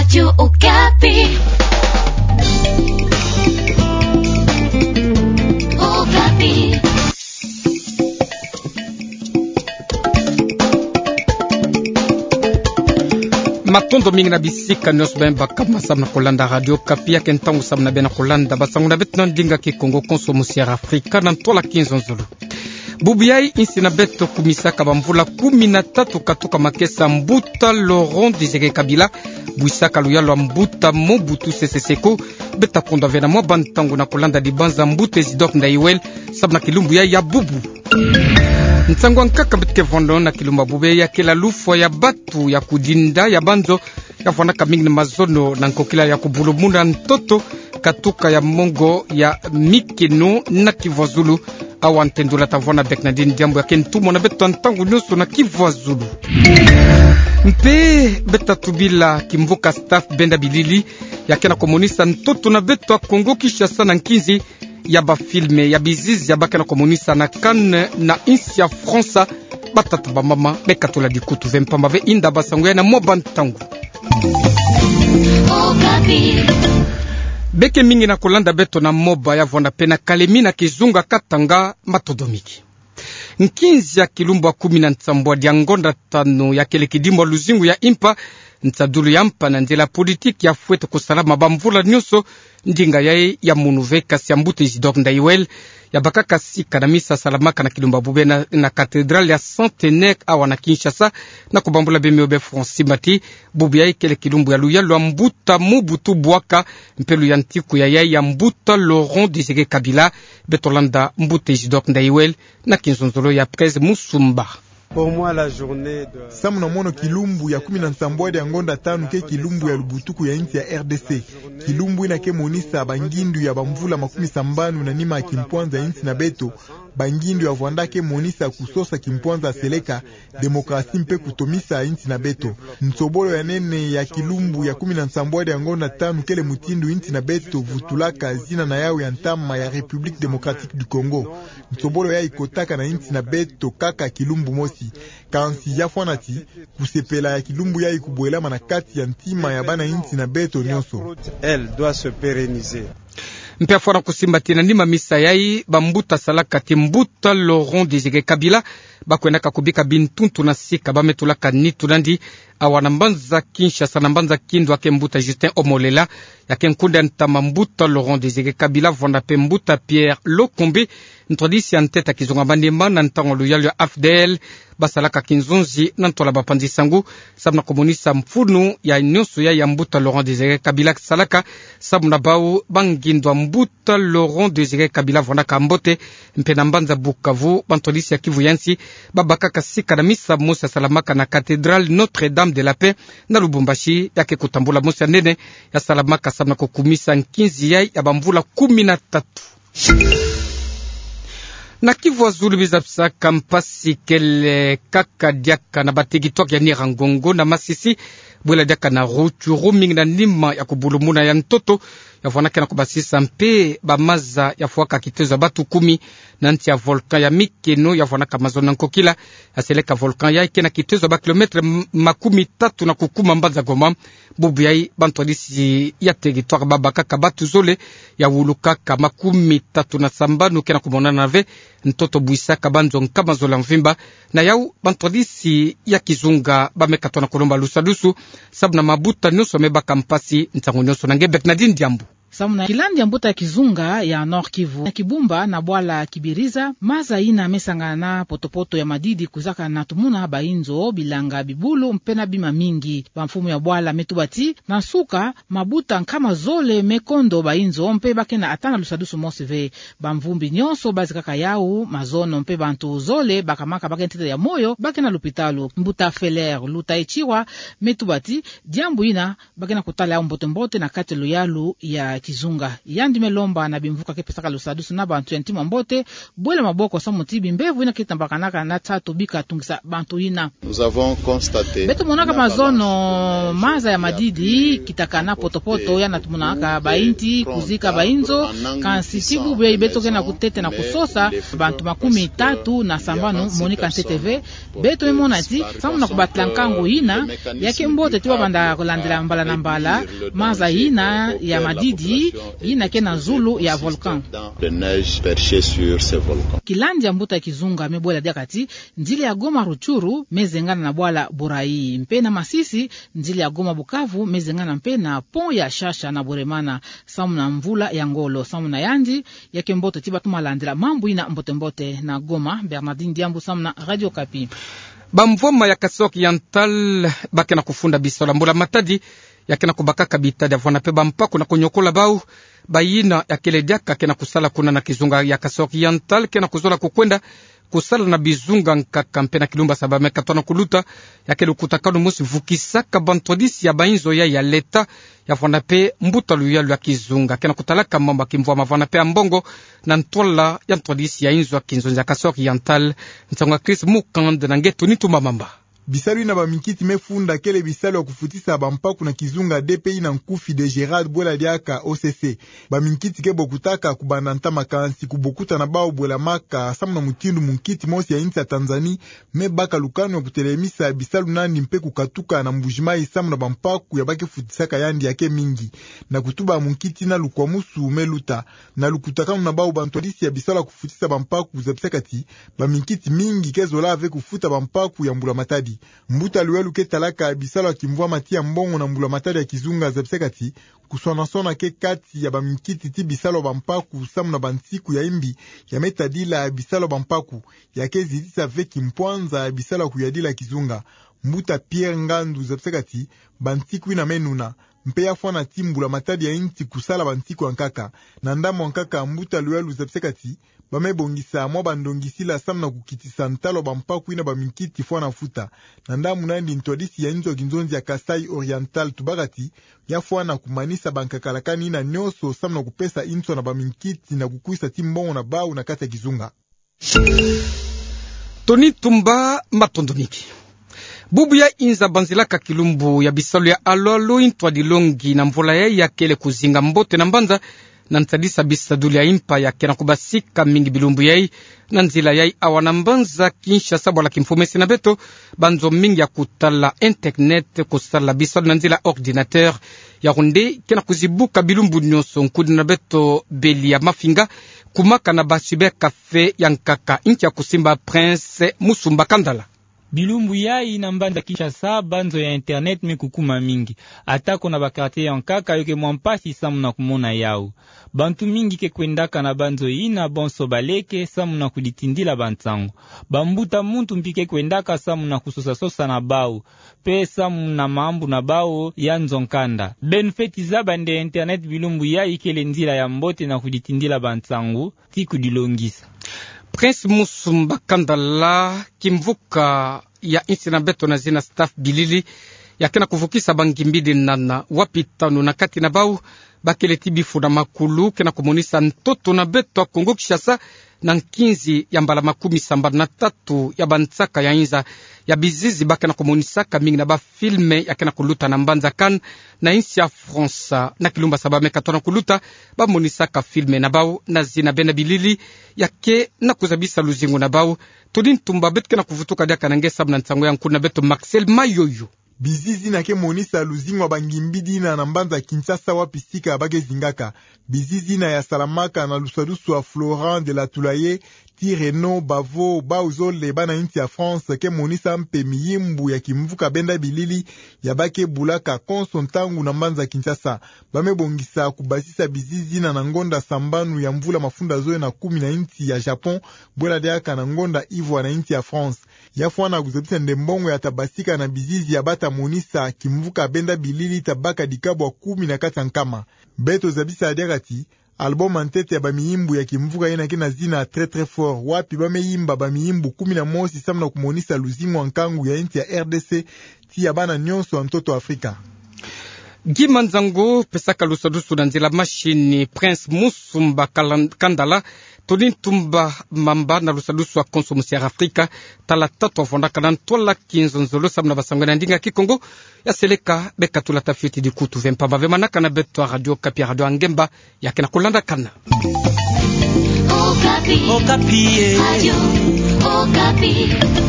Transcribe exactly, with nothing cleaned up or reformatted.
Radio Okapi. Okapi. Matondo mingi na bisika nyonso beno baka ma samu na kolanda Radio Okapi. Ya ke ntangu samu na beno kolanda basangu na beto na ndinga Kikongo konso mu Sierra Afrika na ntola kinzonzolo. Bubu yai insi na beto kumisaka bamvula kumi na tatu katuka makesa mbuta Laurent Désiré Kabila bwisaka luyalu ya mbuta Mobutu Sese Seko. Beta kondwa ve na mwa bantangu na kolanda dibanza mbuta Isidore Ndaïwel samu na kilumbu yai ya bubu. Nsangu ya nkaka beto ke vwando na kilumbu ya bubu ya kele lufwa ya batu ya kudinda ya banzo ya vwanaka mingi na mazono na nkokila ya kubulumuna ntoto katuka ya mongo ya mikeno na kivwazulu. Awa ntendula ta vwanda beka na dini diambu ya ke ntumwa na beto ntangu nyonso na kivwazulu. Mpe beta tubila kimvuka staff benda bilili ya ke na komonisa ntoto na beto ya Kongo Kinshasa na nkinzi ya bafilme ya bizizi ya ba ke na komonisa na Cannes na insi ya Fransa. Batata bamama, beka tula dikutu ve mpamba ve inda basangu yai na mwa bantangu. Beke mingi na kolanda beto na moba ya vwanda pe na kalemi na kizunga Katanga, matondo mingi. Nkinzi ya kilumbu ya kumi na nsambwadi ya ngonda tanu ya kele kidimbu ya luzingu ya impa, nsadulu ya mpa na nzila politiki ya fwete kusalama bamvula nyonso. Ndinga yai ya munu ve kasi ya mbuta Isidore Ndaïwel ya bakaka sika na misa salamaka na kilumbu ya bubu na, na cathédrale ya Centenaire awa na Kinshasa, na kubambula bemio be Francis Mati. Bubu yai kele kilumbu ya luyalu ya mbuta Mobutu Bwaka mpe luyantiku ya yai ya mbuta Laurent Désiré Kabila. Beto landa mbuta Isidore Ndaïwel na kinzonzolo ya Presse Musumba. Pour moi, la journée de... Samu na mono, kilumbu ya kumi na nsambwadi ya ngonda tanu ke kilumbu ya lubutuku ya insi ya R D C. Kilumbu ina ke monisa bangindu ya bamvula makumi sambanu na nima ya kimpwanza ya insi na beto, bangindu ya vwanda ke monisa kusosa kimpwanza seleka, démocratie mpe kutomisa insi na beto. Nsobolo ya nene ya kilumbu ya kumi na nsambwadi ya ngonda tanu kele mutindu insi na beto vutulaka zina na yau ya ntama ya République Démocratique du Congo. Nsobolo yai kotaka na insi na beto kaka kilumbu mosi. Kansi ya fwana ti, kusepela ya kilumbu yai kubwelama na kati ya ntima ya bana insi na beto nyonso. Elle doit se pérenniser. Mpe ya fwana kusimba ti na nima misa yai, bambuta salaka ti mbuta Laurent Désiré Kabila bakwendaka kubika bintuntu na sika ba me tulaka nitu nandi awa na mbanza Kinshasa, na mbanza Kindu, ya ke mbuta Justin Omolela, ya ke nkunda ntama mbuta Laurent Désiré Kabila, vwanda pe mbuta Pierre Lokombi, ntwadisi ya ntete ya kizunga manima na ntangu ya luyalu ya A F D L, basalaka kinzonzi na ntola bapanzi sangu, samu na komonisa mfunu ya nyonso yai ya mbuta Laurent Désiré Kabila salaka, samu na bau bangindu ya mbuta Laurent Désiré Kabila vwandaka mbote. Mpe na mbanza Bukavu, bantwadisi ya Kivu ya nsi babakaka sika na misa mosi ya salamaka na cathédrale Notre-Dame de la Paix na Lubumbashi, ya ke kutambula mosi ya nene ya salamaka samu na kukumisa nkinzi yai ya bamvula kumi na tatu. Na Kivu ya zulu, biza bisaka mpasi kele kaka diaka na bateritware ya Nyiragongo na Masisi, bwela diaka na Rutshuru, mingi na nima ya kubulumuna ya ntoto ya vwanaka na kubasisa mpe bamaza ya fwaka kitezo ya batu kumi na nsi ya volcan ya mikeno ya vwanaka mazono na nkokila ya seleka. Volcan yai ke na kitezo ya ba kilomètre m-, makumi tatu na kukuma mbanza Goma. Bubu yai bantwadisi ya teritware babakaka batu zole ya wulukaka makumi tatu na sambanu ke na kumonana ve ntoto bwisaka banzo nkama zole ya mvimba. Na yau bantwadisi ya kizunga ba me katoa na kulomba lusadusu samu na mabuta nyonso me baka mpasi ntangu nyonso. Na nge Bernardine Diambu. Samu na kilandi ya mbuta ya kizunga ya Nord-Kivu, na Kibumba na bwala Kibiriza, maza ina me sangana na potopoto ya madidi kwizaka na tumuna bainzo, bilanga, bibulu mpe na bima mingi. Bamfumu ya bwala me tuba ti na nsuka, mabuta nkama zole me kondo bainzo mpe ba ke na ata na lusadusu mosi ve. Bamvumbi nyonso bazikaka yau, mazono mpe bantu zole bakamaka ba ke ntete ya moyo ba ke na lupitalu. Mbuta Feller Lutayichirwa me tuba ti diambu ina ba ke na kutala yau mbote-mbote na kati ya luyalu ya kizunga. Yandi me lomba na bimvuka ke pesaka lusadusu na bantu ya ntima mbote, bwela maboko samu ti bimbevo yina ke tambakanaka na tatu bika tungisa bantu yina. Nous avons constaté. Beto monaka mazono maza ya madidi, kitakana poto-poto, yana tumonaka bainti kuzika bainzo, kansi ti bubu yayi beto ke na kutete na kusosa bantu makumi tatu na sambanu monika ntete ve. Beto me mona ti, samu na kubatila nkangu yina, ya ke mbote ti babanda kulandila mbala na mbala maza yina ya madidi, yina ke na zulu ya volcan. De neige perchée sur ce volcan. Kilandi ya mbuta kizunga me bwela diaka ti, nzila ya Goma Rutshuru me zengana na bwala Burayi. Mpe na Masisi, nzila ya Goma Bukavu me zengana mpe na pont ya Shasha na Bweremana, samu na mvula ya ngolo. Samu na yandi, ya ke mbote ti batoma landila mambu yina mbote-mbote. Na Goma, Bernardine Diambu samu na Radio Okapi. Bamvwama ya Kasaï Oriental ba ke na kufunda bisalu ya mbula matadi, ya ke na kubakaka bitadi ya vwanda mpe bampaku na kunyokola bau, bayina ya kele diaka ke na kusala kuna na kizunga ya Kasaï Oriental, ke na kuzola kukwenda kusala na bizunga nkaka mpe na kilumbu ya saba me katona kuluta, ya ke lukutakanu mosi vukisaka bantwadisi ya bainzo ya, ya leta, ya vwanda mpe mbuta luyalu ya kizunga ke na kutalaka mambu ya kimvwama vwanda mpe ya mbongo, na ntwala ya ntwadisi ya inzo ya kinzonzi ya Kasaï Oriental. Nsangu ya Chris Mukand na nge Tony Tumba Mamba. Bisalu yina baminkiti me funda kele bisalu ya kufutisa bampaku na kizunga D P I na nkufi, Dégérade bwela diaka O C C. Baminkiti ke bokutaka kubanda ntama, kansi kubokuta na bau bwelamaka samu na mutindu munkiti mosi ya insi ya Tanzanie me baka lukanu ya kutelemisa bisalu nandi mpe kukatuka na Mbuji-Mayi samu na bampaku ya ba ke futisaka yandi ya ke mingi. Na kutuba munkiti yina, lukwamusu me luta. Na lukutakanu na bau, bantwadisi ya bisalu ya kufutisa bampaku zabisaka ti, baminkiti mingi ke zola ve kufuta bampaku ya mbula matadi. Mbuta luyalu ke talaka bisalu ya kimvwama ti ya mbongo na mbula matadi ya kizunga zabisaka ti, kuswana-swana ke kati ya baminkiti ti bisalu ya bampaku samu na bansiku ya imbi ya me tadila bisalu ya bampaku, ya ke zitisa ve kimpwanza bisalu ya kuyadila kizunga. Mbuta Pierre Ngandu zabisaka ti, bansiku yina me nuna, mpe ya fwana ti mbula matadi ya insi kusala bansiku ya nkaka. Na ndambu ya nkaka, mbuta luyalu zabisaka ti, ba me bongisa mwa bandongisila samu na kukitisa ntalu ya bampaku yina baminkiti fwana futa. Na ndambu nandi, ntwadisi ya inzo ya kinzonzi ya Kasaï Oriental tubaka ti, ya fwana kumanisa bankakalakani yina nyonso samu na kupesa inzo na baminkiti na kukwisa ti mbongo na bau na kati ya kizunga. Tony Tumba, matondo mingi. Bubu ya inza banzilaka kilumbu ya bisalu ya alu-alu, intwadi longi na mvula yayi ya kele kuzinga mbote na mbanza, na ntadisa bisadulu ya impa ya ke na kubasika mingi bilumbu yayi, na nzila yayi awa na mbanza Kinshasa, bwala kimfumese na beto, banzo mingi ya kutala internet, kusala bisalu na nzila ordinateur, ya kunde ke na kuzibuka bilumbu nyonso. Nkudi na beto Beli ya Mafinga, kumaka na ba cybercafé ya nkaka. Inki ya kusimba Prince Musumba Kandala? Bilumbu yayi na mbanza Kinshasa, banzo ya internet me kukuma mingi. Atako na ba quartier ya nkaka, yo ke mwa mpasi samu na kumona yau. Bantu mingi ke kwendaka na banzo yina bonso baleke samu na kuditindila bansangu. Bambuta muntu mpi ke kwendaka samu na kusosa-sosa na bau, mpe samu na mambu na bau ya nzo-nkanda. Beno fweti zaba nde internet bilumbu yayi kele nzila ya mbote na kuditindila bansangu ti kudilongisa. Prince Musumba Kandala. Kimvuka ya insi na beto na zina Staff Bilili, ya ke na kuvukisa bangimbidi nana, wapi tanu na kati na bau ba kele ti bifu na makulu, ke na kumonisa ntoto na beto ya Kongo Kinshasa, na nkinzi ya mbala makumi sambanu na tatu ya bansaka ya inza ya bizizi, ba ke na kumonisaka mingi na ba film ya ke na kuluta na mbanza Cannes na insi ya France. Na kilumbu ya saba me katona kuluta, ba monisaka film na bau na zina Benda Bilili, ya ke na kuzabisa luzingu na bau. Tony Tumba, beto ke na kuvutuka diaka na nge samu na nsangu ya nkudi na beto Marcel Mayoyo. Bizizi yina ke monisa luzingu ya bangimbidi yina na mbanza Kinshasa, wapi sika ba ke zingaka. Bizizi yina ya salamaka na lusadusu ya Florent de la Toulaye, ti Renaud Bavo, bau zole bana insi ya France, ke monisa mpe miyimbu ya kimvuka Benda Bilili ya ba ke bulaka konso ntangu na mbanza Kinshasa. Ba me bongisa kubasisa bizizi yina na ngonda sambanu ya mvula mafunda zole na kumi na insi ya Japon, bwela diaka na ngonda ivwa na insi ya France. Ya fwana kuzabisa nde mbongo ya ta basika na bizizi ya ba ta monisa kimvuka Benda Bilili ta baka dikabwa kumi na kati ya nkama. Beto zabisa diaka ti, album ya ntete ya bamiyimbu ya kimvuka yina ke na zina Très Très Fort, wapi ba me yimba bamiyimbu kumi na mosi samu na kumonisa luzingu ya nkangu ya insi ya R D C, ti ya bana nyonso ya ntoto Afrika. Gi manzango pesaka lusadusu na nzila mashini Prince Musumba Kalan-, Kandala, Tony Tumba Mamba na lusadusu a Konso Musiara Afrika, tala tatu a fondakana ntwala ki nzonzolo samu na basango na ndinga Kikongo. Ya seleka, be katula tafiti dikutu ve mpamba ve manakana beto a Radio Okapi, Radio a Ngemba, ya kena kulandakana. Okapi. Okapi, eh. Radio Okapi.